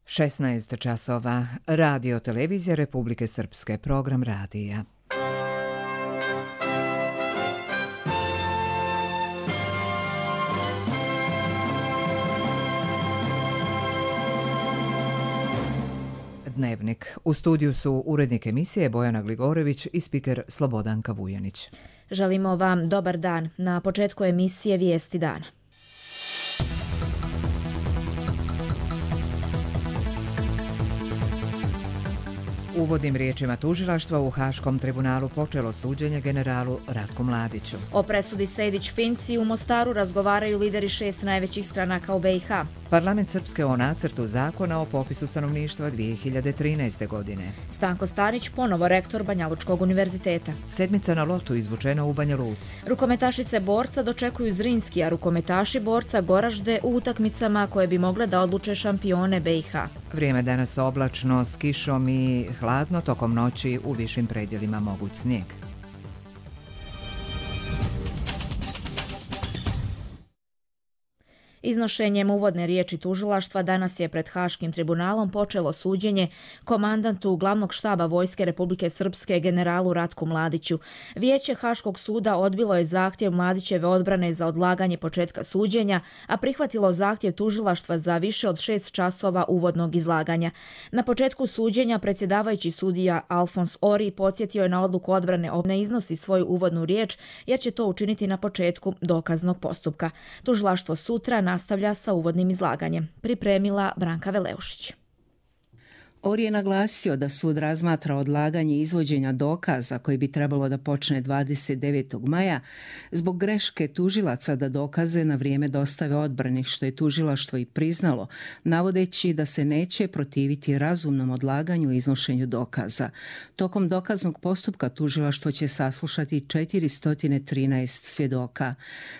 16 časova. Radio Televizija Republike Srpske. Program radija. Dnevnik. U studiju su urednik emisije Bojana Gligorević i spiker Slobodanka Vujanić. Želimo vam dobar dan. Na početku emisije Vijesti dana. Uvodnim riječima tužilaštva u Haškom tribunalu počelo suđenje generalu Ratku Mladiću. O presudi Sejdić-Finci u Mostaru razgovaraju lideri 6 najvećih stranaka u BiH. Parlament Srpske o nacrtu zakona o popisu stanovništva 2013. godine. Stanko Stanić ponovo rektor Banjalučkog univerziteta. Sedmica na lotu izvučena u Banja Luci. Rukometašice borca dočekuju Zrinski, a rukometaši borca Goražde u utakmicama koje bi mogle da odluče šampione BiH. Vrijeme danas oblačno s kišom i hladno, tokom noći u višim predjelima moguć snijeg. Iznošenjem uvodne riječi tužilaštva danas je pred Haškim tribunalom počelo suđenje komandantu glavnog štaba Vojske Republike Srpske generalu Ratku Mladiću. Vijeće Haškog suda odbilo je zahtjev Mladićeve odbrane za odlaganje početka suđenja, a prihvatilo zahtjev tužilaštva za više od 6 časova uvodnog izlaganja. Na početku suđenja predsjedavajući sudija Alfons Ori podsjetio je na odluku odbrane ne iznosi svoju uvodnu riječ jer će to učiniti na početku dokaznog postupka. Tužilaštvo sutra nastavlja sa uvodnim izlaganjem. Pripremila Branka Veleušić. Ori je naglasio da sud razmatra odlaganje izvođenja dokaza koji bi trebalo da počne 29. maja zbog greške tužilaca da dokaze na vrijeme dostave odbrani, što je tužilaštvo i priznalo, navodeći da se neće protiviti razumnom odlaganju i iznošenju dokaza. Tokom dokaznog postupka tužilaštvo će saslušati 413 svjedoka.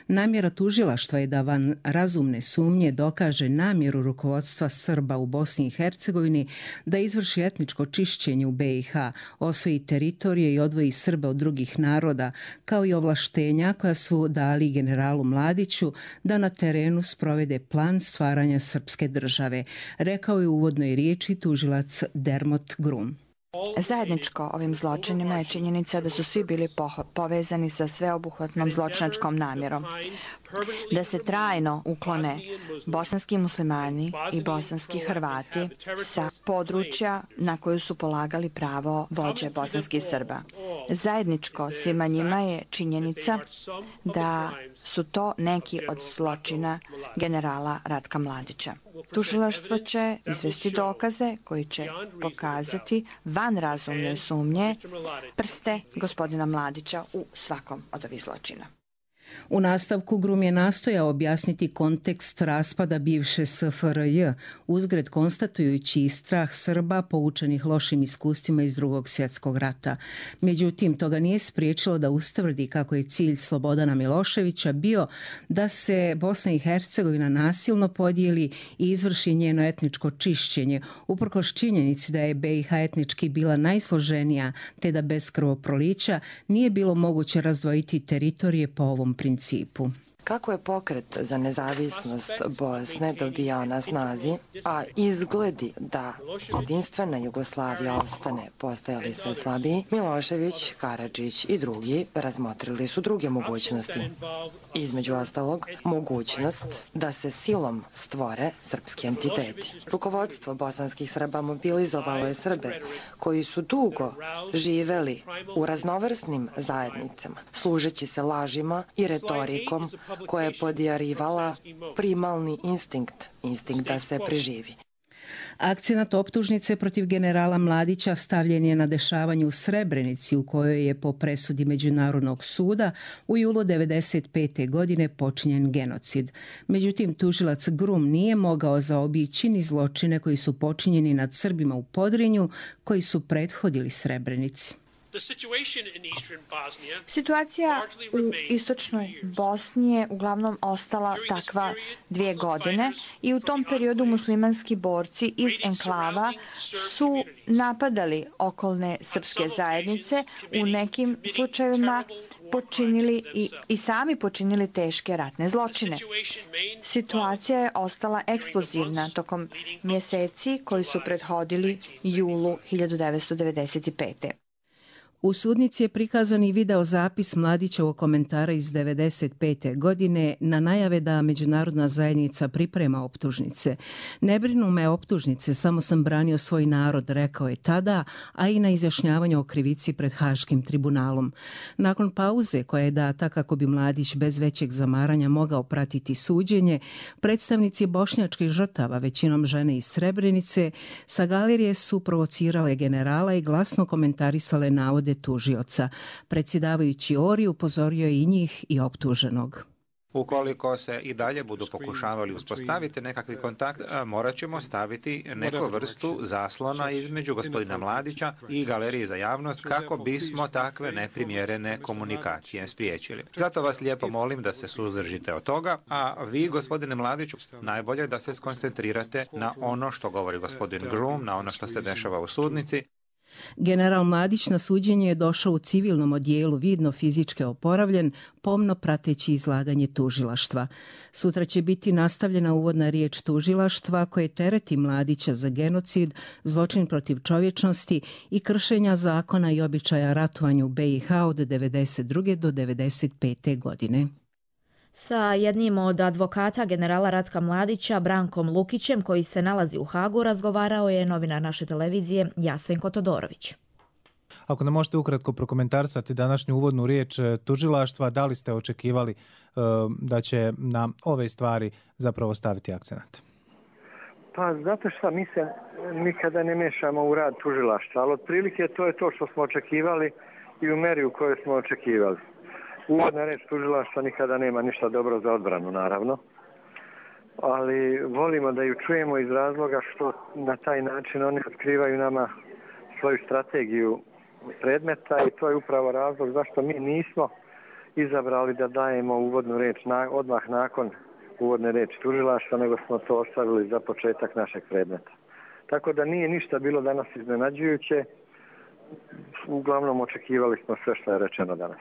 Namjera tužilaštva je da van razumne sumnje dokaže namjeru rukovodstva Srba u Bosni i Hercegovini da izvrši etničko čišćenje u BiH, osvoji teritorije i odvoji Srbe od drugih naroda, kao i ovlaštenja koja su dali generalu Mladiću da na terenu sprovede plan stvaranja srpske države, rekao je u uvodnoj riječi tužilac Dermot Grum. Zajedničko ovim zločinima je činjenica da su svi bili povezani sa sveobuhvatnom zločinačkom namjerom. Da se trajno uklone bosanski muslimani i bosanski Hrvati sa područja na koju su polagali pravo vođe bosanskih Srba. Zajedničko svima njima je činjenica da su to neki od zločina generala Ratka Mladića. Tužilaštvo će izvesti dokaze koji će pokazati van razumne sumnje prste gospodina Mladića u svakom od ovih zločina. U nastavku Grum je nastojao objasniti kontekst raspada bivše SFRJ, uzgred konstatujući i strah Srba poučenih lošim iskustvima iz Drugog svjetskog rata. Međutim, to ga nije spriječilo da ustvrdi kako je cilj Slobodana Miloševića bio da se Bosna i Hercegovina nasilno podijeli i izvrši njeno etničko čišćenje, uprkos činjenici da je BiH etnički bila najsloženija, te da bez krvoprolića nije bilo moguće razdvojiti teritorije po ovom principu. Kako je pokret za nezavisnost Bosne dobijao na snazi, a izgledi da jedinstvena Jugoslavija ostane postajali sve slabiji, Milošević, Karadžić i drugi razmotrili su druge mogućnosti. Između ostalog, mogućnost da se silom stvore srpski entiteti. Rukovodstvo bosanskih Srba mobilizovalo je Srbe koji su dugo živeli u raznovrsnim zajednicama, služeći se lažima i retorikom koja je podjarivala primalni instinkt da se preživi. Akcenat optužnice protiv generala Mladića stavljen je na dešavanje u Srebrenici, u kojoj je po presudi Međunarodnog suda u julu 1995. godine počinjen genocid. Međutim, tužilac Grum nije mogao zaobići ni zločine koji su počinjeni nad Srbima u Podrinju, koji su prethodili Srebrenici. Situacija u istočnoj Bosni je uglavnom ostala takva 2 godine i u tom periodu muslimanski borci iz enklava su napadali okolne srpske zajednice, u nekim slučajevima počinili i sami počinili teške ratne zločine. Situacija je ostala eksplozivna tokom mjeseci koji su prethodili julu 1995. U sudnici je prikazan i video zapis Mladićevog komentara iz 1995. godine na najave da međunarodna zajednica priprema optužnice. Ne brinu me optužnice, samo sam branio svoj narod, rekao je tada, a i na izjašnjavanju o krivici pred Haškim tribunalom. Nakon pauze koja je data kako bi Mladić bez većeg zamaranja mogao pratiti suđenje, predstavnici bošnjačkih žrtava, većinom žene iz Srebrenice, sa galerije su provocirale generala i glasno komentarisale navode tužioca. Predsjedavajući Ori upozorio je i njih i optuženog. Ukoliko se i dalje budu pokušavali uspostaviti nekakvi kontakt, morat ćemo staviti neku vrstu zaslona između gospodina Mladića i galerije za javnost kako bismo takve neprimjerene komunikacije spriječili. Zato vas lijepo molim da se suzdržite od toga, a vi, gospodine Mladiću, najbolje da se skoncentrirate na ono što govori gospodin Groom, na ono što se dešava u sudnici. General Mladić na suđenje je došao u civilnom odijelu, vidno fizički oporavljen, pomno prateći izlaganje tužilaštva. Sutra će biti nastavljena uvodna riječ tužilaštva koje tereti Mladića za genocid, zločin protiv čovječnosti i kršenja zakona i običaja ratovanja u BiH od 1992. do 1995. godine. Sa jednim od advokata generala Ratka Mladića, Brankom Lukićem, koji se nalazi u Hagu, razgovarao je novinar naše televizije Jasenko Todorović. Ako nam možete ukratko prokomentarisati današnju uvodnu riječ tužilaštva, da li ste očekivali da će na ove stvari zapravo staviti akcenat? Pa zato što mi se nikada ne mešamo u rad tužilaštva, ali otprilike to je to što smo očekivali i u meri u kojoj smo očekivali. Uvodna reč tužilaštva nikada nema ništa dobro za odbranu, naravno, ali volimo da ju čujemo iz razloga što na taj način oni otkrivaju nama svoju strategiju predmeta i to je upravo razlog zašto mi nismo izabrali da dajemo uvodnu reč odmah nakon uvodne reči tužilaštva, nego smo to ostavili za početak našeg predmeta. Tako da nije ništa bilo danas iznenađujuće, uglavnom očekivali smo sve što je rečeno danas.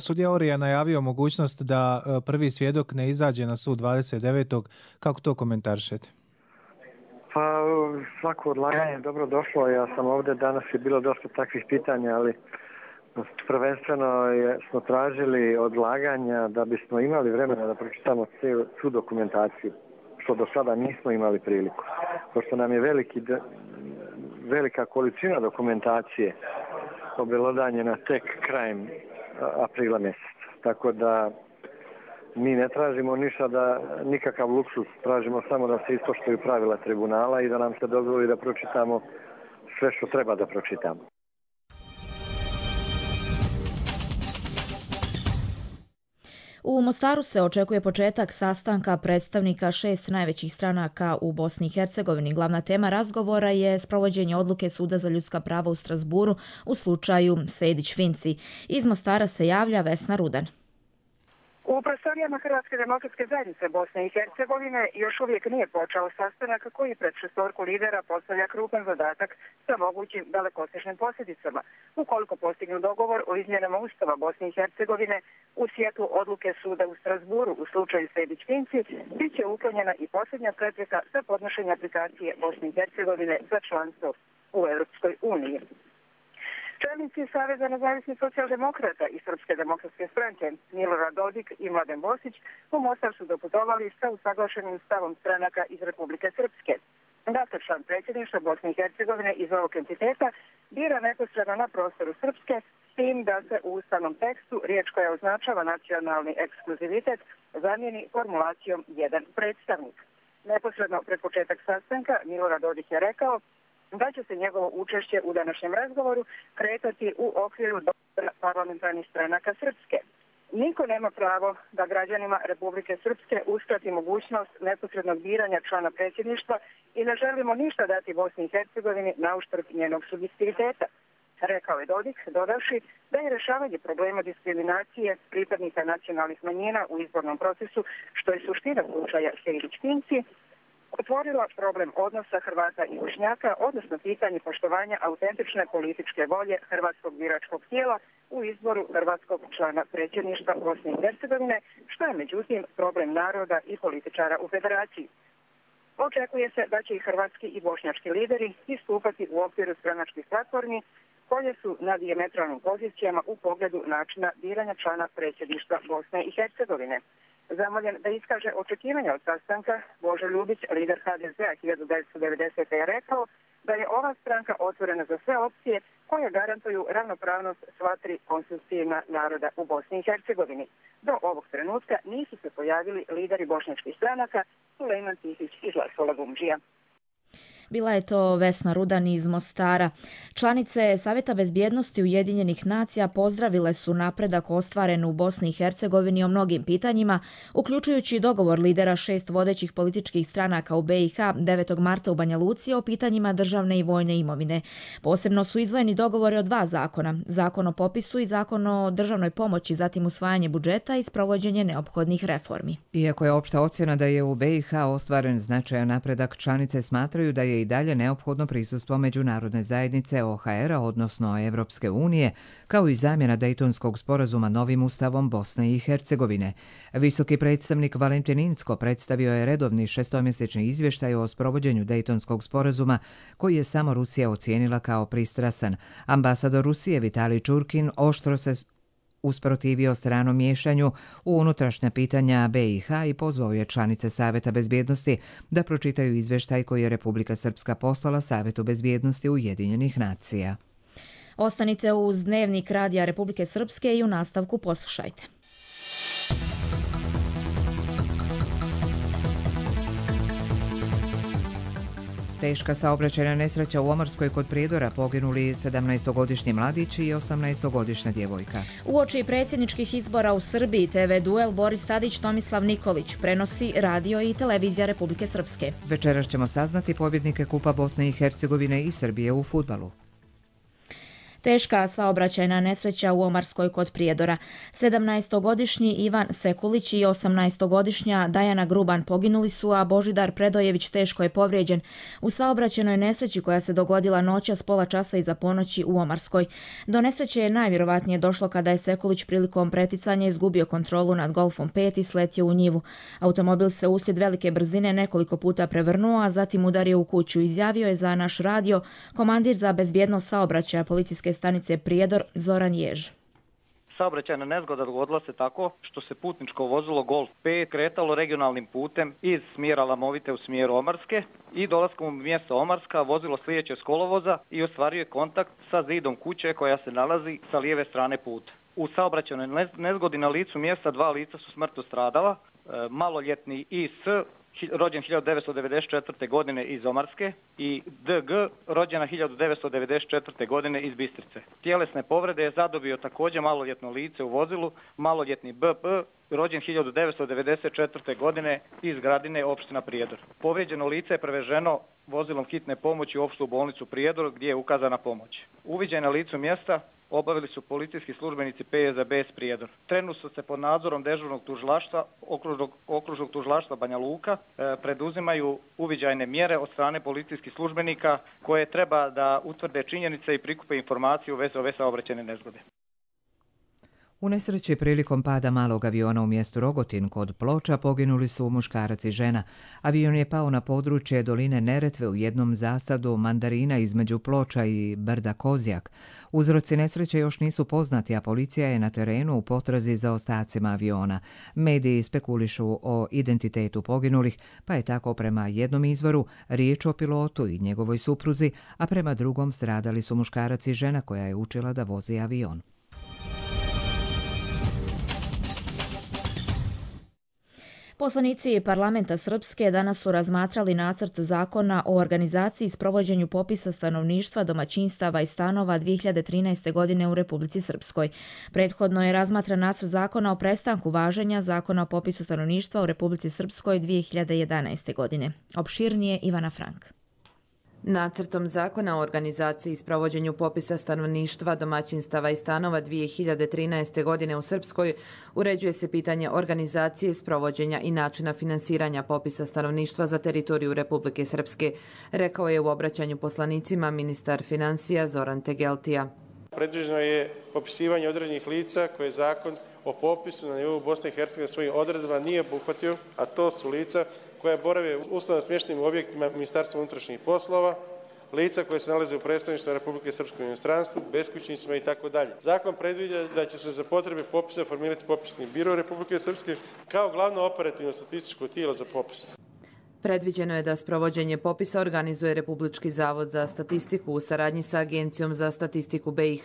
Sudija Ori je najavio mogućnost da prvi svjedok ne izađe na sud 29. Kako to komentarišete? Pa svako odlaganje je dobro došlo. Ja sam ovdje, danas je bilo dosta takvih pitanja, ali prvenstveno smo tražili odlaganja da bismo imali vremena da pročitamo svu dokumentaciju, što do sada nismo imali priliku. Pošto nam je velika količina dokumentacije obelodanjena tek krajem aprila mjeseca. Tako da mi ne tražimo ništa, nikakav luksuz, tražimo samo da se ispoštuju pravila tribunala i da nam se dozvoli da pročitamo sve što treba da pročitamo. U Mostaru se očekuje početak sastanka predstavnika 6 najvećih stranaka u Bosni i Hercegovini. Glavna tema razgovora je sprovođenje odluke Suda za ljudska prava u Strasburu u slučaju Sejdić-Finci. Iz Mostara se javlja Vesna Rudan. U prostorijama Hrvatske demokratske zajednice Bosne i Hercegovine još uvijek nije počeo sastanak koji pred šestorku lidera postavlja krupan zadatak sa mogućim dalekosežnim posljedicama. Ukoliko postignu dogovor o izmjenama Ustava Bosne i Hercegovine u svjetlu odluke Suda u Strasburu u slučaju Sejdić-Finci, bit će uklonjena i posljednja prepreka za podnošenje aplikacije Bosne i Hercegovine za članstvo u Europskoj uniji. Čelnici Saveza nezavisnih socijaldemokrata i Srpske demokratske stranke Milorad Dodik i Mladen Bosić u Mostar su doputovali sa usaglašenim stavom stranaka iz Republike Srpske. Dakle, član predsjedništva Bosne i Hercegovine iz ovog entiteta bira neposredno na prostoru Srpske, s tim da se u ustavnom tekstu riječ koja označava nacionalni ekskluzivitet zamijeni formulacijom jedan predstavnik. Neposredno pred početak sastanka Milorad Dodik je rekao da će se njegovo učešće u današnjem razgovoru kretati u okviru dogovora parlamentarnih stranaka Srpske. Niko nema pravo da građanima Republike Srpske uskrati mogućnost neposrednog biranja člana predsjedništva i ne želimo ništa dati Bosni i Hercegovini na uštrb njenog subjektiviteta, rekao je Dodik, dodavši da je rješavanje problema diskriminacije pripadnika nacionalnih manjina u izbornom procesu, što je suština slučaja Sejdić-Finci, otvorila problem odnosa Hrvata i Bošnjaka, odnosno pitanje poštovanja autentične političke volje hrvatskog biračkog tijela u izboru hrvatskog člana predsjedništva Bosne i Hercegovine, što je međutim problem naroda i političara u federaciji. Očekuje se da će i hrvatski i bošnjački lideri istupati u okviru stranačkih platformi koje su na dijametralnim pozicijama u pogledu načina biranja člana predsjedništva Bosne i Hercegovine. Zamoljen da iskaže očekivanja od sastanka, Božo Ljubić, lider HDZ-a 1990. je rekao da je ova stranka otvorena za sve opcije koje garantuju ravnopravnost sva tri konstitutivna naroda u Bosni i Hercegovini. Do ovog trenutka nisu se pojavili lideri bošnjačkih stranaka Sulejman Tihić i Zlatkola Gumdžija. Bila je to Vesna Rudan iz Mostara. Članice Savjeta bezbjednosti Ujedinjenih nacija pozdravile su napredak ostvaren u Bosni i Hercegovini o mnogim pitanjima, uključujući dogovor lidera 6 vodećih političkih stranaka u BiH 9. marta u Banja Luci o pitanjima državne i vojne imovine. Posebno su izdvojeni dogovori o 2 zakona, zakon o popisu i zakon o državnoj pomoći, zatim usvajanje budžeta i sprovođenje neophodnih reformi. Iako je opšta ocjena da je u BiH ostvaren značajan napredak, članice smatraju da je i dalje neophodno prisustvo međunarodne zajednice OHR-a, odnosno Evropske unije, kao i zamjena Dejtonskog sporazuma novim ustavom Bosne i Hercegovine. Visoki predstavnik Valentin Incko predstavio je redovni 6-mjesečni izvještaj o sprovođenju Dejtonskog sporazuma, koji je samo Rusija ocijenila kao pristrasan. Ambasador Rusije Vitalij Čurkin oštro se usprotivio stranom miješanju u unutrašnja pitanja BiH i pozvao je članice Savjeta bezbjednosti da pročitaju izvještaj koji je Republika Srpska poslala Savjetu bezbjednosti Ujedinjenih nacija. Ostanite uz Dnevnik Radija Republike Srpske i u nastavku poslušajte. Teška saobraćajna nesreća u Omarskoj kod Prijedora, poginuli 17-godišnji mladić i 18-godišnja djevojka. Uoči predsjedničkih izbora u Srbiji TV duel Boris Tadić – Tomislav Nikolić prenosi radio i televizija Republike Srpske. Večeras ćemo saznati pobjednike Kupa Bosne i Hercegovine i Srbije u fudbalu. Teška saobraćajna nesreća u Omarskoj kod Prijedora. 17-godišnji Ivan Sekulić i 18-godišnja Dajana Gruban poginuli su, a Božidar Predojević teško je povrijeđen u saobraćajnoj nesreći koja se dogodila noćas pola časa iza ponoći u Omarskoj. Do nesreće je najvjerovatnije došlo kada je Sekulić prilikom preticanja izgubio kontrolu nad Golfom 5 i sletio u njivu. Automobil se uslijed velike brzine nekoliko puta prevrnuo, a zatim udario u kuću, izjavio je za naš radio komandir za bezbjednost saobraćaja policijske stanice Prijedor Zoran Jež. Saobraćajna nezgoda dogodila se tako što se putničko vozilo Golf 5 kretalo regionalnim putem iz smjera Lamovite u smjeru Omarske i dolaskom u mjesto Omarska vozilo slijeće s kolovoza i ostvario kontakt sa zidom kuće koja se nalazi sa lijeve strane puta. U saobraćajnoj nezgodi na licu mjesta 2 lica su smrtno stradala, maloljetni IS rođen 1994. godine iz Omarske i DG rođena 1994. godine iz Bistrice. Tjelesne povrede je zadobio također maloljetno lice u vozilu, maloljetni BP rođen 1994. godine iz Gradine, opština Prijedor. Povrijeđeno lice je preveženo vozilom hitne pomoći u opštu bolnicu Prijedor gdje je ukazana pomoć. Uviđaj na licu mjesta obavili su policijski službenici PZBS Prijedor. Trenutno se pod nadzorom dežurnog tužilaštva, okružnog tužilaštva Banja Luka preduzimaju uviđajne mjere od strane policijskih službenika koje treba da utvrde činjenice i prikupe informacije u vezi ove saobraćajne nezgode. U nesreći prilikom pada malog aviona u mjestu Rogotin kod Ploča poginuli su muškarac i žena. Avion je pao na područje doline Neretve u jednom zasadu mandarina između Ploča i brda Kozjak. Uzroci nesreće još nisu poznati, a policija je na terenu u potrazi za ostacima aviona. Mediji spekulišu o identitetu poginulih, pa je tako prema jednom izvoru riječ o pilotu i njegovoj supruzi, a prema drugom stradali su muškarac i žena koja je učila da vozi avion. Poslanici parlamenta Srpske danas su razmatrali nacrt zakona o organizaciji i sprovođenju popisa stanovništva, domaćinstava i stanova 2013. godine u Republici Srpskoj. Prethodno je razmatran nacrt zakona o prestanku važenja zakona o popisu stanovništva u Republici Srpskoj 2011. godine. Opširnije Ivana Frank. Nacrtom zakona o organizaciji i sprovođenju popisa stanovništva, domaćinstava i stanova 2013. godine u Srpskoj uređuje se pitanje organizacije, sprovođenja i načina finansiranja popisa stanovništva za teritoriju Republike Srpske, rekao je u obraćanju poslanicima ministar finansija Zoran Tegeltija. Predviđeno je popisivanje određenih lica koje zakon o popisu na nivou Bosne i Hercegovine svojim odredbama nije obuhvatio, a to su lica koja borave u uslovno smještenim objektima Ministarstva unutrašnjih poslova, lica koje se nalaze u predstavništvu Republike Srpske u inostranstvu, beskućnicima itd. Zakon predviđa da će se za potrebe popisa formirati popisni biro Republike Srpske kao glavno operativno statističko tijelo za popis. Predviđeno je da sprovođenje popisa organizuje Republički zavod za statistiku u saradnji sa Agencijom za statistiku BiH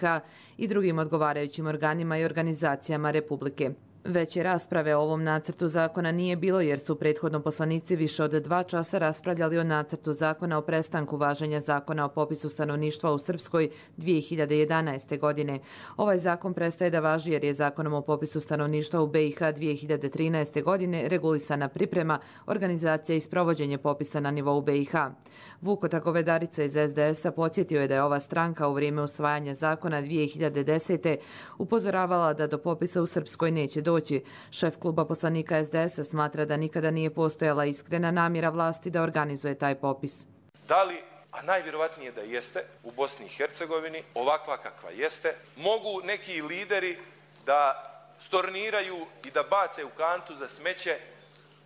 i drugim odgovarajućim organima i organizacijama Republike. Veće rasprave o ovom nacrtu zakona nije bilo jer su prethodno poslanici više od 2 časa raspravljali o nacrtu zakona o prestanku važenja zakona o popisu stanovništva u Srpskoj 2011. godine. Ovaj zakon prestaje da važi jer je zakonom o popisu stanovništva u BiH 2013. godine regulisana priprema, organizacija i sprovođenje popisa na nivou BiH. Vuko Govedarica iz SDS-a podsjetio je da je ova stranka u vrijeme usvajanja zakona 2010. upozoravala da do popisa u Srpskoj neće doći. Šef kluba poslanika SDS-a smatra da nikada nije postojala iskrena namjera vlasti da organizuje taj popis. Da li, a najvjerovatnije da jeste, u Bosni i Hercegovini, ovakva kakva jeste, mogu neki lideri da storniraju i da bace u kantu za smeće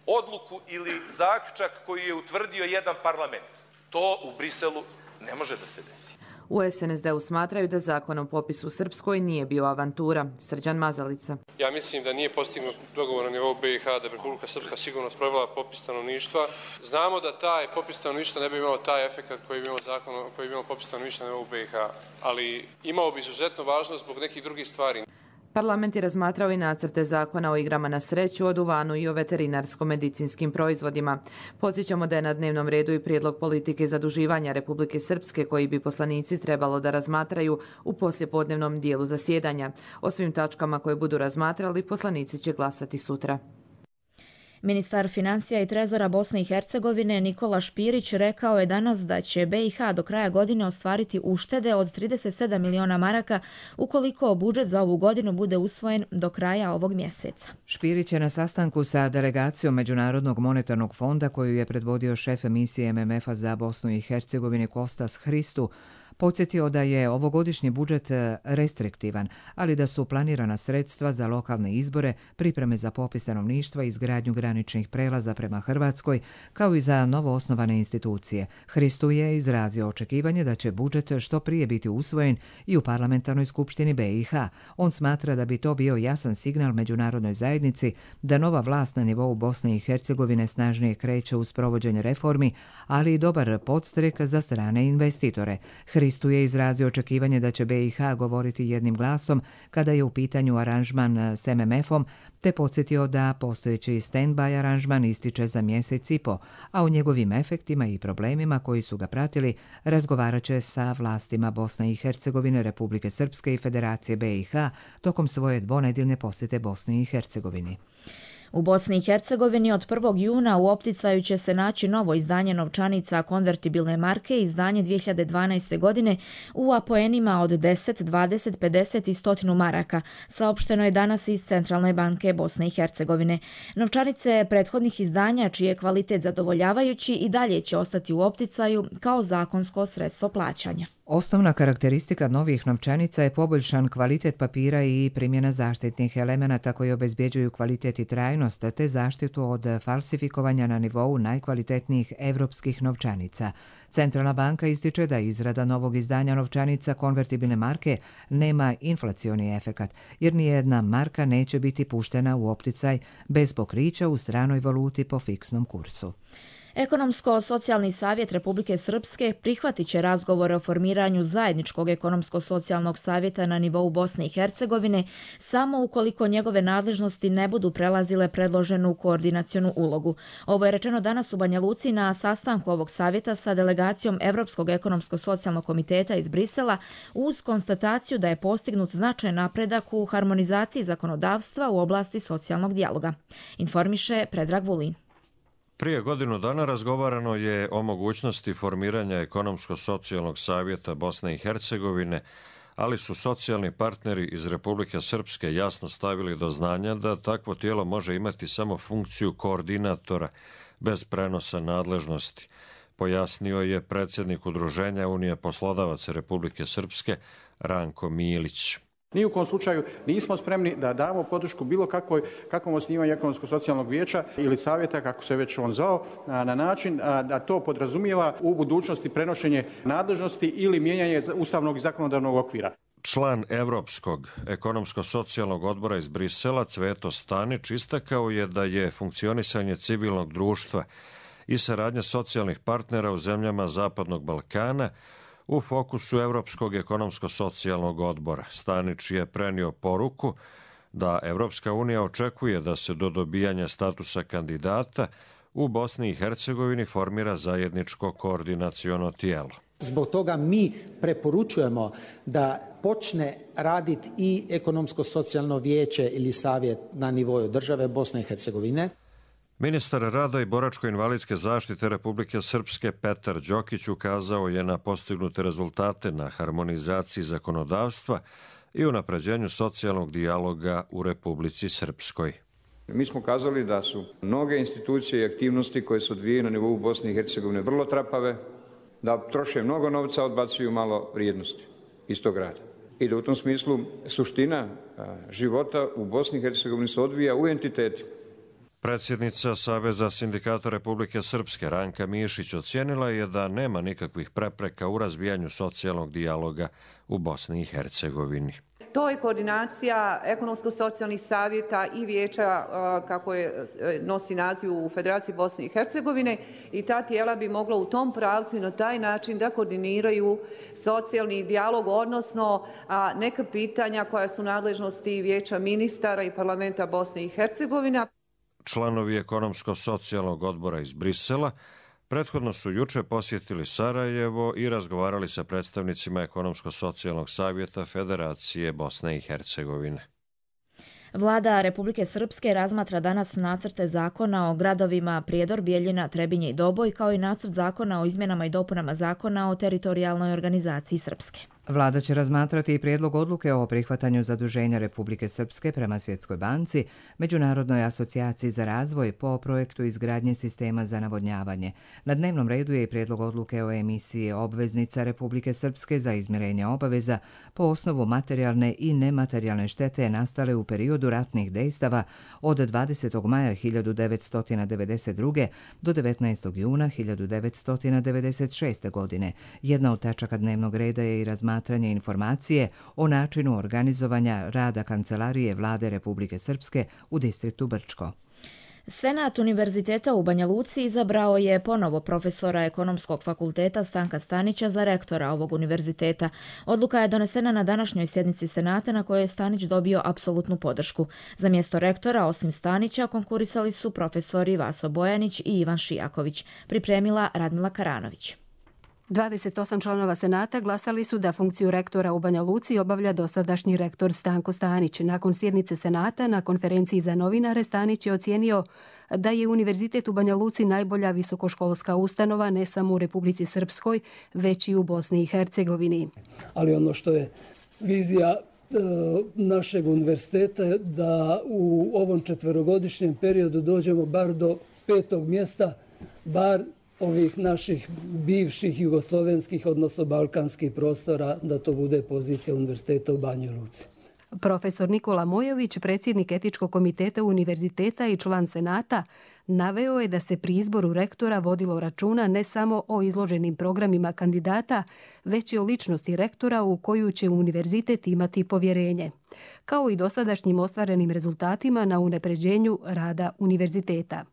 odluku ili zaključak koji je utvrdio jedan parlament. To u Briselu ne može da se desi. U SNSD-u smatraju da zakon o popisu u Srpskoj nije bio avantura. Srđan Mazalica. Ja mislim da nije postignut dogovor na nivou BiH da bi Republika Srpska sigurno sprovela popis stanovništva. Znamo da taj popis stanovništva ne bi imao taj efekt koji bi imao zakon, koji bi imao popis stanovništva na nivou BiH, ali imao bi izuzetno važnost zbog nekih drugih stvari. Parlament je razmatrao i nacrte zakona o igrama na sreću, o duvanu i o veterinarsko-medicinskim proizvodima. Podsjećamo da je na dnevnom redu i prijedlog politike zaduživanja Republike Srpske koji bi poslanici trebalo da razmatraju u poslijepodnevnom dijelu zasjedanja. O svim tačkama koje budu razmatrali poslanici će glasati sutra. Ministar financija i trezora Bosne i Hercegovine Nikola Špirić rekao je danas da će BiH do kraja godine ostvariti uštede od 37 miliona maraka ukoliko budžet za ovu godinu bude usvojen do kraja ovog mjeseca. Špirić je na sastanku sa delegacijom Međunarodnog monetarnog fonda koju je predvodio šef misije MMF-a za Bosnu i Hercegovinu Kostas Hristu podsjetio da je ovogodišnji budžet restriktivan, ali da su planirana sredstva za lokalne izbore, pripreme za popis stanovništva i izgradnju graničnih prelaza prema Hrvatskoj, kao i za novo osnovane institucije. Hristu je izrazio očekivanje da će budžet što prije biti usvojen i u parlamentarnoj skupštini BiH. On smatra da bi to bio jasan signal međunarodnoj zajednici da nova vlast na nivou Bosne i Hercegovine snažnije kreće u sprovođenje reformi, ali i dobar podstrek za strane investitore. Hristu je izrazio očekivanje da će BiH govoriti jednim glasom kada je u pitanju aranžman s MMF-om, te podsjetio da postojeći stand-by aranžman ističe za mjesec i po, a o njegovim efektima i problemima koji su ga pratili razgovarat će sa vlastima Bosne i Hercegovine, Republike Srpske i Federacije BiH tokom svoje dvonedjeljne posjete Bosni i Hercegovini. U Bosni i Hercegovini od 1. juna u opticaju će se naći novo izdanje novčanica konvertibilne marke, izdanje 2012. godine u apoenima od 10, 20, 50 i 100 maraka, saopšteno je danas iz Centralne banke Bosne i Hercegovine. Novčanice prethodnih izdanja, čiji je kvalitet zadovoljavajući, i dalje će ostati u opticaju kao zakonsko sredstvo plaćanja. Osnovna karakteristika novih novčanica je poboljšan kvalitet papira i primjena zaštitnih elemenata koji obezbjeđuju kvalitet i trajnost te zaštitu od falsifikovanja na nivou najkvalitetnijih evropskih novčanica. Centralna banka ističe da izrada novog izdanja novčanica konvertibilne marke nema inflacioni efekat, jer nijedna marka neće biti puštena u opticaj bez pokrića u stranoj valuti po fiksnom kursu. Ekonomsko-socijalni savjet Republike Srpske prihvatit će razgovore o formiranju zajedničkog ekonomsko-socijalnog savjeta na nivou Bosne i Hercegovine samo ukoliko njegove nadležnosti ne budu prelazile predloženu koordinacionu ulogu. Ovo je rečeno danas u Banja Luci na sastanku ovog savjeta sa delegacijom Evropskog ekonomsko-socijalnog komiteta iz Brisela uz konstataciju da je postignut značajan napredak u harmonizaciji zakonodavstva u oblasti socijalnog dijaloga. Informiše Predrag Vulin. Prije godinu dana razgovarano je o mogućnosti formiranja ekonomsko-socijalnog savjeta Bosne i Hercegovine, ali su socijalni partneri iz Republike Srpske jasno stavili do znanja da takvo tijelo može imati samo funkciju koordinatora bez prenosa nadležnosti, pojasnio je predsjednik Udruženja Unije poslodavaca Republike Srpske Ranko Milić. Ni u kom slučaju nismo spremni da damo podršku bilo kakvom osnivanju ekonomsko-socijalnog vijeća ili savjeta, kako se već on zvao, na način da to podrazumijeva u budućnosti prenošenje nadležnosti ili mijenjanje ustavnog i zakonodavnog okvira. Član Evropskog ekonomsko-socijalnog odbora iz Brisela Cveto Stanić istakao je da je funkcionisanje civilnog društva i saradnja socijalnih partnera u zemljama Zapadnog Balkana u fokusu Evropskog ekonomsko-socijalnog odbora. Stanić je prenio poruku da Evropska unija očekuje da se do dobijanja statusa kandidata u Bosni i Hercegovini formira zajedničko koordinaciono tijelo. Zbog toga mi preporučujemo da počne raditi i ekonomsko-socijalno vijeće ili savjet na nivou države Bosne i Hercegovine. Ministar rada i boračko-invalidske zaštite Republike Srpske Petar Đokić ukazao je na postignute rezultate na harmonizaciji zakonodavstva i unapređenju socijalnog dijaloga u Republici Srpskoj. Mi smo kazali da su mnoge institucije i aktivnosti koje se odvijaju na nivou Bosne i Hercegovine vrlo trapave, da troše mnogo novca, odbacuju malo vrijednosti iz tog rada. I da u tom smislu suština života u Bosni i Hercegovini se odvija u entitetu. Predsjednica Saveza sindikata Republike Srpske Ranka Mišić ocijenila je da nema nikakvih prepreka u razvijanju socijalnog dijaloga u Bosni i Hercegovini. To je koordinacija ekonomsko-socijalnih savjeta i vijeća kako je nosi naziv u Federaciji Bosne i Hercegovine i ta tijela bi mogla u tom pravcu i na taj način da koordiniraju socijalni dijalog, odnosno neka pitanja koja su nadležnosti vijeća ministara i parlamenta Bosne i Hercegovine. Članovi ekonomsko-socijalnog odbora iz Brisela prethodno su juče posjetili Sarajevo i razgovarali sa predstavnicima ekonomsko-socijalnog savjeta Federacije Bosne i Hercegovine. Vlada Republike Srpske razmatra danas nacrte zakona o gradovima Prijedor, Bijeljina, Trebinje i Doboj, kao i nacrt zakona o izmjenama i dopunama zakona o teritorijalnoj organizaciji Srpske. Vlada će razmatrati i prijedlog odluke o prihvatanju zaduženja Republike Srpske prema Svjetskoj banci, Međunarodnoj asocijaciji za razvoj po projektu izgradnje sistema za navodnjavanje. Na dnevnom redu je i prijedlog odluke o emisiji obveznica Republike Srpske za izmirenje obaveza po osnovu materijalne i nematerijalne štete nastale u periodu ratnih dejstava od 20. maja 1992. do 19. juna 1996. godine. Jedna od tačaka dnevnog reda je i razmatranje informacije o načinu organizovanja rada Kancelarije Vlade Republike Srpske u distriktu Brčko. Senat Univerziteta u Banja Luci izabrao je ponovo profesora Ekonomskog fakulteta Stanka Stanića za rektora ovog univerziteta. Odluka je donesena na današnjoj sjednici Senata na kojoj je Stanić dobio apsolutnu podršku. Za mjesto rektora, osim Stanića, konkurisali su profesori Vaso Bojanić i Ivan Šijaković. Pripremila Radmila Karanović. 28 članova Senata glasali su da funkciju rektora u Banja Luci obavlja dosadašnji rektor Stanko Stanić. Nakon sjednice Senata, na konferenciji za novinare, Stanić je ocijenio da je Univerzitet u Banja Luci najbolja visokoškolska ustanova ne samo u Republici Srpskoj, već i u Bosni i Hercegovini. Ali ono što je vizija našeg univerziteta je da u ovom 4-godišnjem periodu dođemo bar do 5. mjesta, bar ovih naših bivših jugoslovenskih, odnosno balkanskih prostora, da to bude pozicija univerziteta u Banji Luci. Profesor Nikola Mojović, predsjednik etičkog komiteta univerziteta i član Senata, naveo je da se pri izboru rektora vodilo računa ne samo o izloženim programima kandidata, već i o ličnosti rektora u koju će univerzitet imati povjerenje, kao i dosadašnjim ostvarenim rezultatima na unapređenju rada univerziteta.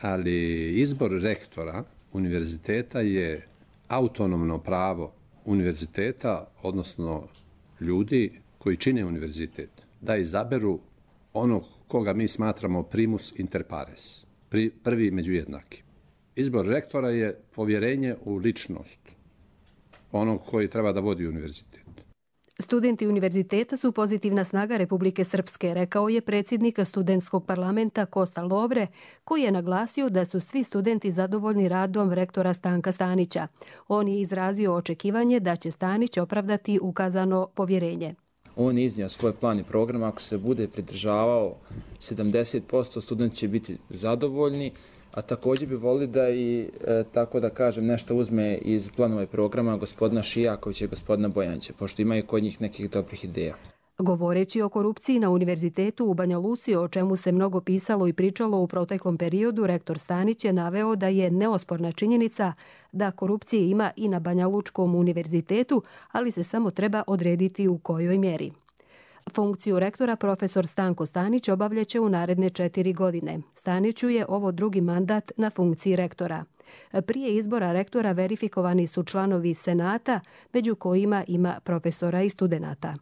Ali izbor rektora univerziteta je autonomno pravo univerziteta, odnosno ljudi koji čine univerzitet, da izaberu onog koga mi smatramo primus inter pares, prvi među jednaki. Izbor rektora je povjerenje u ličnost onog koji treba da vodi univerzitet. Studenti univerziteta su pozitivna snaga Republike Srpske, rekao je predsjednik studentskog parlamenta Kosta Lovre, koji je naglasio da su svi studenti zadovoljni radom rektora Stanka Stanića. On je izrazio očekivanje da će Stanić opravdati ukazano povjerenje. On je iznio svoj plan i program, ako se bude pridržavao 70%, studenti će biti zadovoljni, a također bi volili da i, tako da kažem, nešto uzme iz planova i programa gospodina Šijakovića i gospodina Bojanića, pošto imaju kod njih nekih dobrih ideja. Govoreći o korupciji na univerzitetu u Banja Luci, o čemu se mnogo pisalo i pričalo u proteklom periodu, rektor Stanić je naveo da je neosporna činjenica da korupcije ima i na Banja Lučkom univerzitetu, ali se samo treba odrediti u kojoj mjeri. Funkciju rektora profesor Stanko Stanić obavljaće u naredne 4 godine. Staniću je ovo drugi mandat na funkciji rektora. Prije izbora rektora verifikovani su članovi Senata, među kojima ima profesora i studenata.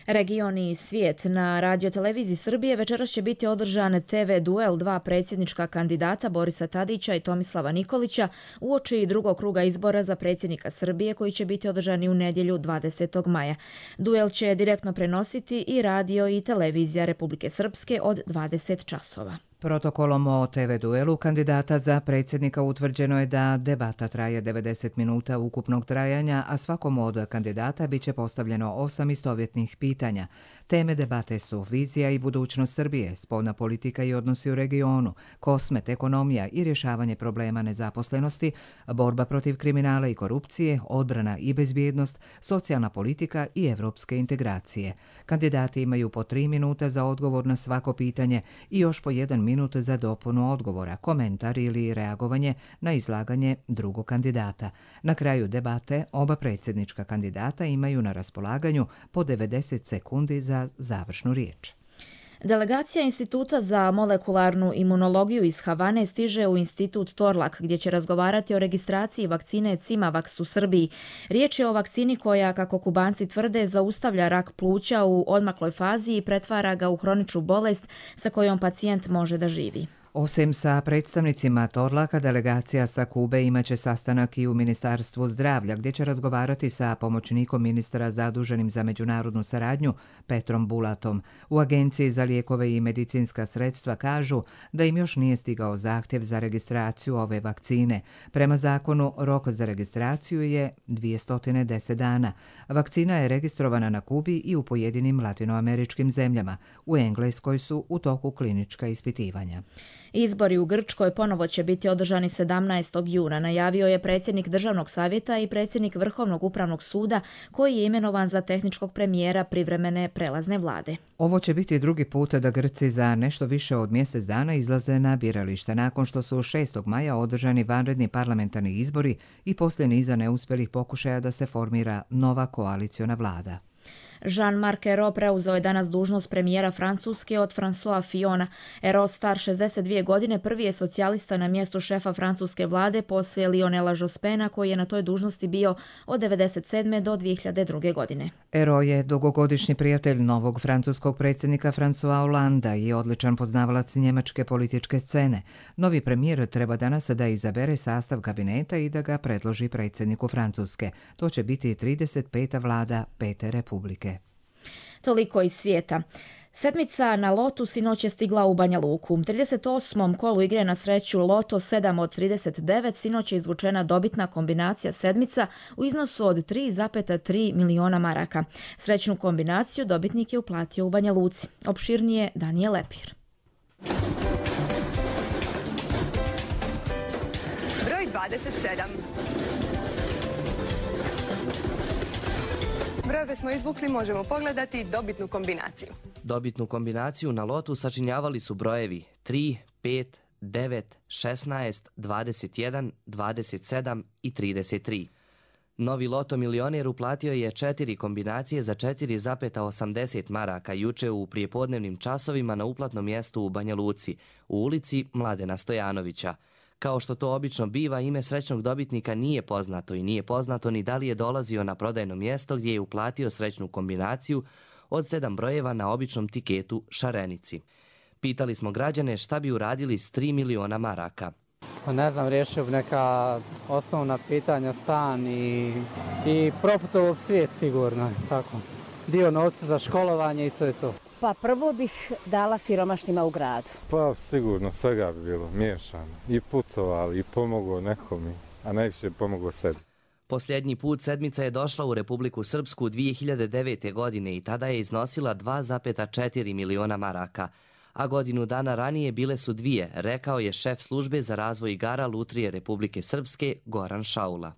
Region i svijet. Na Radio-televiziji Srbije večeras će biti održan TV duel dva predsjednička kandidata Borisa Tadića i Tomislava Nikolića uoči drugog kruga izbora za predsjednika Srbije koji će biti održani u nedjelju 20. maja. Duel će direktno prenositi i radio i televizija Republike Srpske od 20 časova. Protokolom o TV duelu kandidata za predsjednika utvrđeno je da debata traje 90 minuta ukupnog trajanja, a svakom od kandidata biće postavljeno 8 istovjetnih pitanja. Teme debate su vizija i budućnost Srbije, spoljna politika i odnosi u regionu, kosmet, ekonomija i rješavanje problema nezaposlenosti, borba protiv kriminala i korupcije, odbrana i bezbjednost, socijalna politika i evropske integracije. Kandidati imaju po 3 minuta za odgovor na svako pitanje i još po 1 minut za dopunu odgovora, komentar ili reagovanje na izlaganje drugog kandidata. Na kraju debate oba predsjednička kandidata imaju na raspolaganju po 90 sekundi za završnu riječ. Delegacija Instituta za molekularnu imunologiju iz Havane stiže u Institut Torlak, gdje će razgovarati o registraciji vakcine Cimavax u Srbiji. Riječ je o vakcini koja, kako Kubanci tvrde, zaustavlja rak pluća u odmakloj fazi i pretvara ga u hroničnu bolest sa kojom pacijent može da živi. Osim sa predstavnicima Torlaka, delegacija sa Kube imaće sastanak i u Ministarstvu zdravlja, gdje će razgovarati sa pomoćnikom ministra zaduženim za međunarodnu saradnju Petrom Bulatom. U Agenciji za lijekove i medicinska sredstva kažu da im još nije stigao zahtjev za registraciju ove vakcine. Prema zakonu, rok za registraciju je 210 dana. Vakcina je registrovana na Kubi i u pojedinim latinoameričkim zemljama. U Engleskoj su u toku klinička ispitivanja. Izbori u Grčkoj ponovo će biti održani 17. juna, najavio je predsjednik Državnog savjeta i predsjednik Vrhovnog upravnog suda koji je imenovan za tehničkog premijera privremene prelazne vlade. Ovo će biti drugi put da Grci za nešto više od mjesec dana izlaze na biralište nakon što su 6. maja održani vanredni parlamentarni izbori i poslije niza neuspjelih pokušaja da se formira nova koaliciona vlada. Jean-Marc Ayrault preuzeo je danas dužnost premijera Francuske od François Fillona. Ayrault, star 62 godine, prvi je socijalista na mjestu šefa francuske vlade poslije Lionela Jospena, koji je na toj dužnosti bio od 1997. do 2002. godine. Ayrault je dugogodišnji prijatelj novog francuskog predsjednika François Hollanda i odličan poznavalac njemačke političke scene. Novi premijer treba danas da izabere sastav kabineta i da ga predloži predsjedniku Francuske. To će biti 35. vlada Pete republike. Toliko iz svijeta. Sedmica na lotu sinoć je stigla u Banja Luku. U 38. kolu igre na sreću Loto 7 od 39 sinoć je izvučena dobitna kombinacija sedmica u iznosu od 3,3 miliona maraka. Srećnu kombinaciju dobitnik je uplatio u Banja Luci. Opširnije Danijel Lepir. Broj 27. Brojeve smo izvukli, možemo pogledati dobitnu kombinaciju. Dobitnu kombinaciju na lotu sačinjavali su brojevi 3, 5, 9, 16, 21, 27 i 33. Novi loto milioner uplatio je 4 kombinacije za 4,80 maraka juče u prijepodnevnim časovima na uplatnom mjestu u Banja Luci, u ulici Mladena Stojanovića. Kao što to obično biva, ime srećnog dobitnika nije poznato i nije poznato ni da li je dolazio na prodajno mjesto gdje je uplatio srećnu kombinaciju od 7 brojeva na običnom tiketu šarenici. Pitali smo građane šta bi uradili s 3 miliona maraka. Ne znam, riješio bi neka osnovna pitanja, stan i proputovao svijet sigurno. Tako. Dio novca za školovanje i to je to. Pa prvo bih dala siromašnima u gradu. Pa sigurno svega bi bilo miješano. I putovali i pomogao nekom, a najviše pomogao sebi. Posljednji put sedmica je došla u Republiku Srpsku 2009. godine i tada je iznosila 2,4 miliona maraka, a godinu dana ranije bile su 2, rekao je šef službe za razvoj igara Lutrije Republike Srpske Goran Šaula.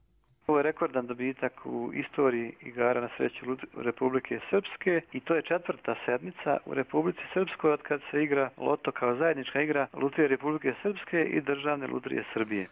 Ovo je rekordan dobitak u istoriji igara na sreću Republike Srpske i to je 4. sedmica u Republici Srpskoj od kad se igra loto kao zajednička igra Lutrije Republike Srpske i Državne lutrije Srbije.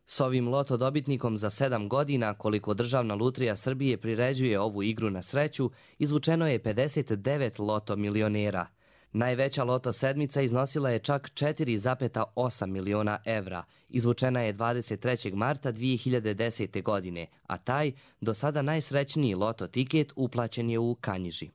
S ovim loto dobitnikom za 7 godina, koliko Državna lutrija Srbije priređuje ovu igru na sreću, izvučeno je 59 loto milionera. Najveća loto sedmica iznosila je čak 4,8 miliona evra. Izvučena je 23. marta 2010. godine, a taj, do sada najsrećniji loto tiket uplaćen je u Kanjiži.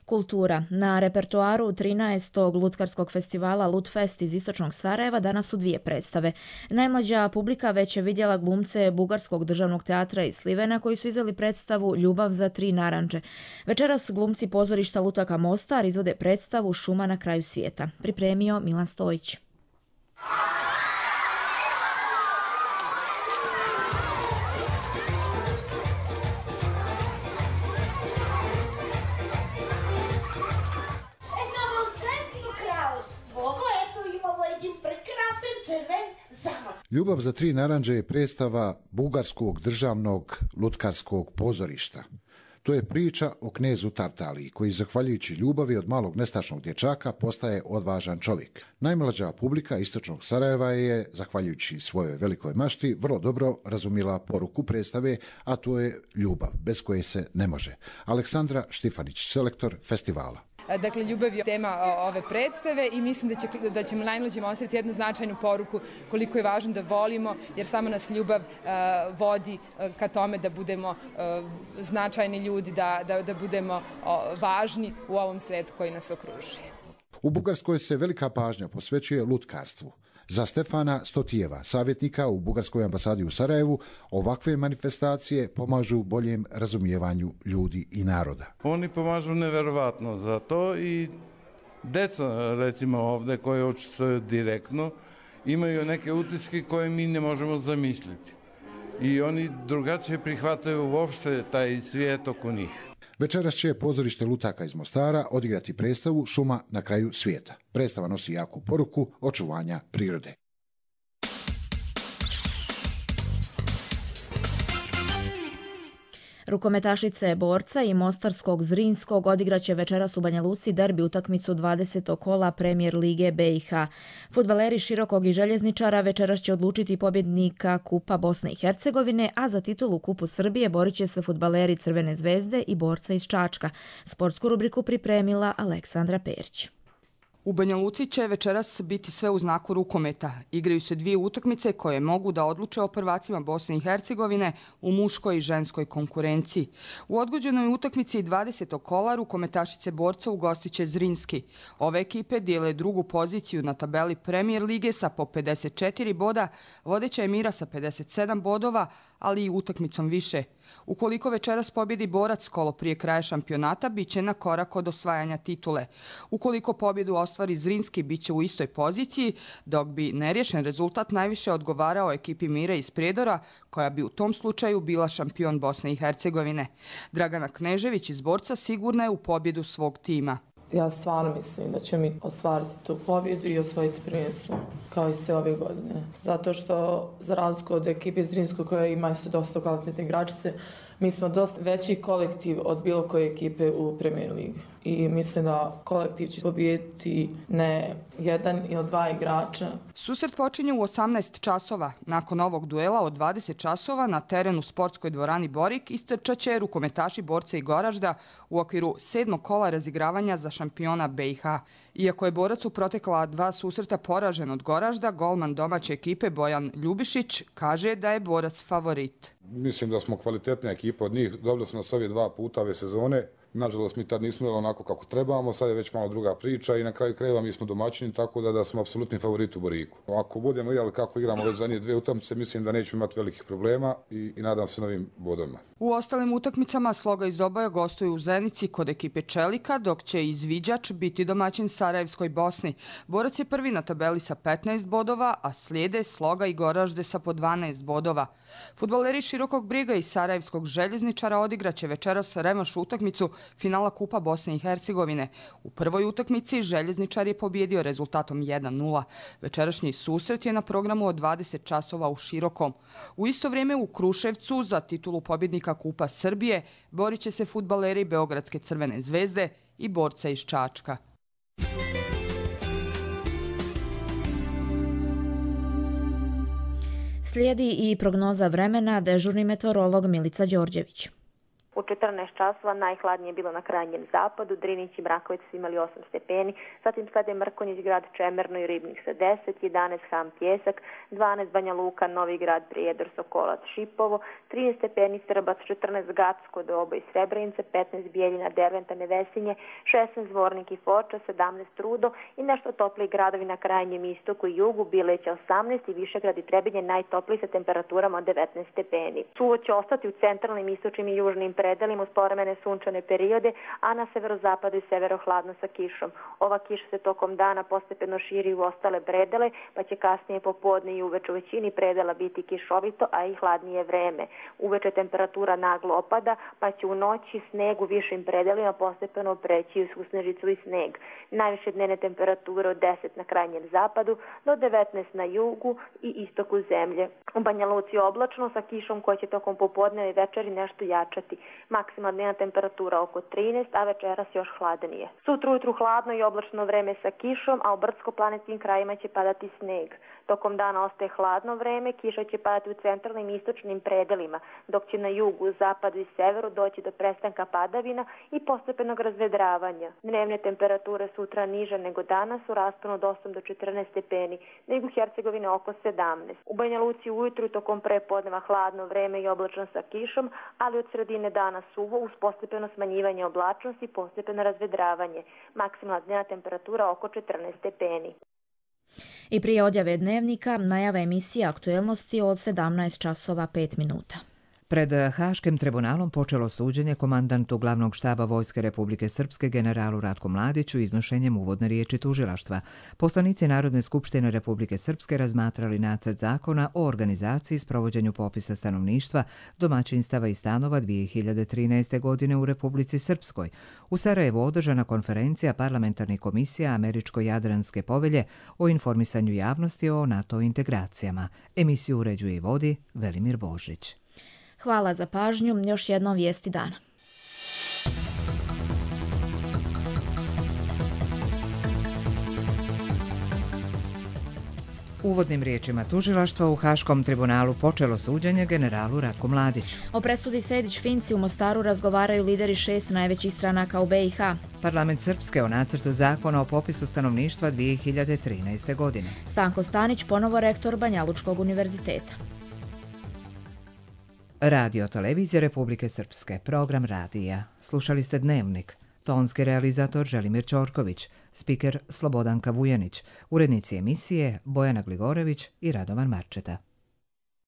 Kultura. Na repertoaru 13. lutkarskog festivala Lutfest iz istočnog Sarajeva danas su 2 predstave. Najmlađa publika već je vidjela glumce Bugarskog državnog teatra iz Slivena koji su izveli predstavu Ljubav za 3 narandže. Večeras glumci pozorišta Lutaka Mostar izvode predstavu Šuma na kraju svijeta. Pripremio Milan Stojić. Ljubav za 3 narandže je predstava Bugarskog državnog lutkarskog pozorišta. To je priča o knezu Tartaliji, koji zahvaljujući ljubavi od malog nestašnog dječaka postaje odvažan čovjek. Najmlađa publika istočnog Sarajeva je, zahvaljujući svojoj velikoj mašti, vrlo dobro razumjela poruku predstave, a to je ljubav, bez koje se ne može. Aleksandra Štifanić, selektor festivala. Dakle, ljubav je tema ove predstave i mislim da ćemo najmlađima ostaviti jednu značajnu poruku koliko je važno da volimo, jer samo nas ljubav vodi ka tome da budemo značajni ljudi, da budemo važni u ovom svijetu koji nas okružuje. U Bugarskoj se velika pažnja posvećuje lutkarstvu. Za Stefana Stotijeva, savjetnika u Bugarskoj ambasadi u Sarajevu, ovakve manifestacije pomažu boljem razumijevanju ljudi i naroda. Oni pomažu neverovatno za to i deca, recimo ovdje, koje učestvuju direktno, imaju neke utiske koje mi ne možemo zamisliti. I oni drugačije prihvataju uopšte taj svijet oko njih. Večeras će pozorište Lutaka iz Mostara odigrati predstavu Šuma na kraju svijeta. Predstava nosi jaku poruku očuvanja prirode. Rukometašice Borca i Mostarskog Zrinskog odigraće večeras u Banja Luci derbi utakmicu 20. kola Premijer lige BiH. Fudbaleri Širokog i Željezničara večeras će odlučiti pobjednika Kupa Bosne i Hercegovine, a za titulu Kupu Srbije borit će se fudbaleri Crvene zvezde i Borca iz Čačka. Sportsku rubriku pripremila Aleksandra Perić. U Banja Luci će večeras biti sve u znaku rukometa. Igraju se 2 utakmice koje mogu da odluče o prvacima Bosne i Hercegovine u muškoj i ženskoj konkurenciji. U odgođenoj utakmici 20. kola rukometašice Borca ugostiće Zrinski. Ove ekipe dijele drugu poziciju na tabeli Premijer lige sa po 54 boda, vodeća je Mira sa 57 bodova, ali i utakmicom više. Ukoliko večeras pobjedi Borac kolo prije kraja šampionata, bit će na korak od osvajanja titule. Ukoliko pobjedu ostvari Zrinski, bit će u istoj poziciji, dok bi neriješen rezultat najviše odgovarao ekipi Mire iz Prijedora, koja bi u tom slučaju bila šampion Bosne i Hercegovine. Dragana Knežević iz Borca sigurna je u pobjedu svog tima. Ja stvarno mislim da će mi ostvariti tu pobjedu i osvojiti prvenstvo, kao i sve ove godine. Zato što, za razliku od ekipe Zrinskog, koja ima isto dosta kvalitetne igračice, mi smo dosta veći kolektiv od bilo koje ekipe u Premier ligi. I mislim da kolektiv će pobijediti ne 1 ili 2 igrača. Susret počinje u 18 časova. Nakon ovog duela od 20 časova na terenu sportskoj dvorani Borik istrčat će rukometaši Borca i Goražda u okviru 7. kola razigravanja za šampiona BiH. Iako je Borac u protekla 2 susreta poražen od Goražda, golman domaće ekipe Bojan Ljubišić kaže da je Borac favorit. Mislim da smo kvalitetna ekipa od njih. Dobili smo nas ove 2 puta ove sezone. Nažalost, mi tad nismo imali onako kako trebamo, sad je već malo druga priča i na kraju krajeva mi smo domaćini, tako da smo apsolutni favoriti u Boriku. Ako budemo igrali kako igramo već zadnje 2 utakmice, mislim da nećemo imati velikih problema i nadam se novim bodovima. U ostalim utakmicama Sloga iz Doboja gostuju u Zenici kod ekipe Čelika, dok će izviđač biti domaćin Sarajevskoj Bosni. Borac je prvi na tabeli sa 15 bodova, a slijede Sloga i Goražde sa po 12 bodova. Fudbaleri Širokog Briga i Sarajevskog Željezničara odigraće večeras revanš utakmicu finala Kupa Bosne i Hercegovine. U prvoj utakmici Željezničar je pobjedio rezultatom 1:0. Večerašnji susret je na programu od 20 časova u Širokom. U isto vrijeme u Kruševcu za titulu pobjednika Kupa Srbije borit će se fudbaleri Beogradske Crvene zvezde i borca iz Čačka. Slijedi i prognoza vremena, dežurni meteorolog Milica Đorđević. U 14 časova najhladnije je bilo na krajnjem zapadu, Drinić i Mraković su imali 8 stepeni, zatim slede Mrkonjić, grad Čemerno i Ribnik sa 10, 11 Ham Pjesak, 12 Banja Luka, Novi grad, Prijedor, Sokolac, Šipovo, 13 stepeni Srbac, 14 Gacko, Dobo i Srebrenice, 15 Bijeljina, Derventa, Nevesinje, 16 Zvornik i Foča, 17 Trudo i nešto topliji gradovi na krajnjem istoku i jugu, Bileća 18 i Višegrad i Trebinje najtopliji sa temperaturama od 19 stepeni. Suvo će ostati u centralnim, istočnim i južnim predelima uz povremene sunčane periode, a na severozapadu i severo hladno sa kišom. Ova kiša se tokom dana postepeno širi u ostale predele, pa će kasnije popodne i uveče u većini predela biti kišovito, a i hladnije vreme. Uveče temperatura naglo opada, pa će u noći sneg u višim predelima postepeno preći u snežicu i sneg. Najviše dnevne temperature od 10 na krajnjem zapadu do 19 na jugu i istoku zemlje. U Banja Luci oblačno sa kišom koja će tokom popodneva i večeri nešto jačati. Maksimalna dnevna temperatura oko 13, a večeras još hladnije. Sutra ujutru hladno i oblačno vreme sa kišom, a u brdsko-planinskim krajima će padati sneg. Tokom dana ostaje hladno vreme, kiša će padati u centralnim i istočnim predelima, dok će na jugu, zapadu i severu doći do prestanka padavina i postepenog razvedravanja. Dnevne temperature sutra niže nego danas u rasponu od 8 do 14 stepeni, nego u Hercegovini oko 17. U Banja Luci ujutru tokom prepodneva hladno vreme i oblačno sa kišom, ali od sredine dana suvo uz postepeno smanjivanje oblačnosti i postepeno razvedravanje. Maksimalna dnevna temperatura oko 14 stepeni. I prije odjave dnevnika najava emisije aktuelnosti od 17 časova 5 minuta. Pred Haškim tribunalom počelo suđenje komandantu glavnog štaba Vojske Republike Srpske generalu Ratku Mladiću iznošenjem uvodne riječi tužilaštva. Poslanici Narodne skupštine Republike Srpske razmatrali nacrt zakona o organizaciji i sprovođenju popisa stanovništva, domaćinstava i stanova 2013. godine u Republici Srpskoj. U Sarajevu održana konferencija parlamentarnih komisija Američko-Jadranske povelje o informisanju javnosti o NATO integracijama. Emisiju uređuje i vodi Velimir Božić. Hvala za pažnju, još jednom vijesti dana. Uvodnim riječima tužilaštva u Haškom tribunalu počelo suđenje generalu Ratku Mladiću. O presudi Sejdić-Finci u Mostaru razgovaraju lideri 6 najvećih stranaka u BiH. Parlament Srpske o nacrtu zakona o popisu stanovništva 2013. godine. Stanko Stanić, ponovo rektor Banjalučkog univerziteta. Radio Televizije Republike Srpske, program radija. Slušali ste Dnevnik. Tonski realizator Želimir Ćorković, spiker Slobodanka Vujanić, urednici emisije Bojana Gligorević i Radovan Marčeta.